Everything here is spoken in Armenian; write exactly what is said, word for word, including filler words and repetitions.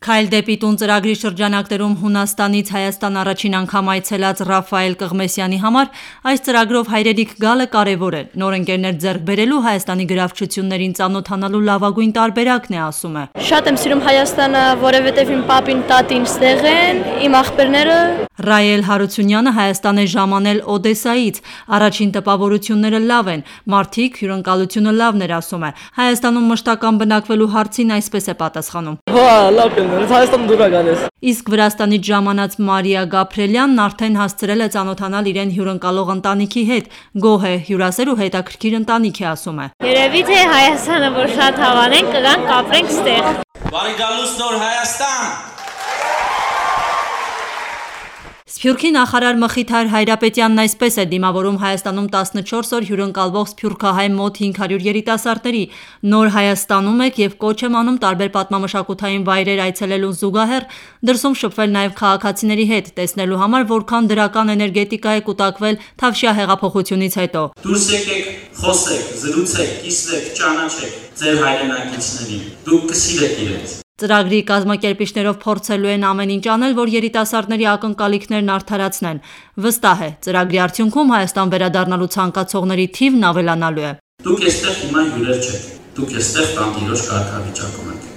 Քայլ դեպի տուն ծրագրի շրջանակներում Հունաստանից Հայաստան առաջին անգամ այցելած Ռաֆայել Կղմեսյանի համար այս ծրագրով հայրենիք գալը կարևոր է, նոր ընկերներ ձեռք բերելու Հայաստանի գրավչություններին ծանոթանալու լավագույն տարբերակն է, ասում է. Շատ եմ սիրում Հայաստանը, որովհետև իմ պապին, տատին ստեղ են, իմ աղբերները։ Ռայել Հարությունյանը Հայաստան է ժամանել Օդեսայից, առաջին տպավորությունները լավ են, մարդիկ, հյուրընկալությունը լավն էր, ասում է. Հայաստանում մշտական բնակվելու հարցին այսպես է պատասխանում. Իսկ Վրաստանից ժամանած Մարիա Գաբրելյանն արդեն հասցրել է ծանոթանալ իրեն հյուրընկալող ընտանիքի հետ, գոհ է, հյուրասեր ու հետաքրքիր ընտանիք է, ասում է. Երևի թե Հայաստանը որ շատ հավանենք, կգանք կապրենք ստեղ։ Բարի գալուս նոր Հայաստան։ Սփյուռքի նախարար Մխիթար Հայրապետյանն այսպես է դիմավորում Հայաստանում տասնչորս օր հյուրընկալվող սփյուռքահայ մոտ հինգ հարյուր երիտասարդների. Նոր Հայաստանում եք եւ կոչ եմ անում տարբեր պատմամշակութային վայրեր այցելելուն զուգահեռ դրսում շփվել նաեւ քաղաքացիների հետ, տեսնելու համար որքան դրական էներգետիկա է կուտակվել Թավշյա հեղափոխությունից հետո։ Դուրս եկեք, խոսեք, զրուցեք, կիսվեք, ճանաչեք ձեր հայրենակիցներին։ Դուք կսիրեք իրենց։ Ծրագրի կազմակերպիչներով փորձելու են ամեն ինչ անել, որ երիտասարդների ակնկալիքներն արդարացնեն։ Վստահ է, ծրագրի արդյունքում Հայաստան վերադառնալու ցանկացողների թիվն ավելանալու է։ Դուք այստեղ հիմա հյուրեր չեք, դուք այստեղ տանտիրոջ կարգավիճակում եք։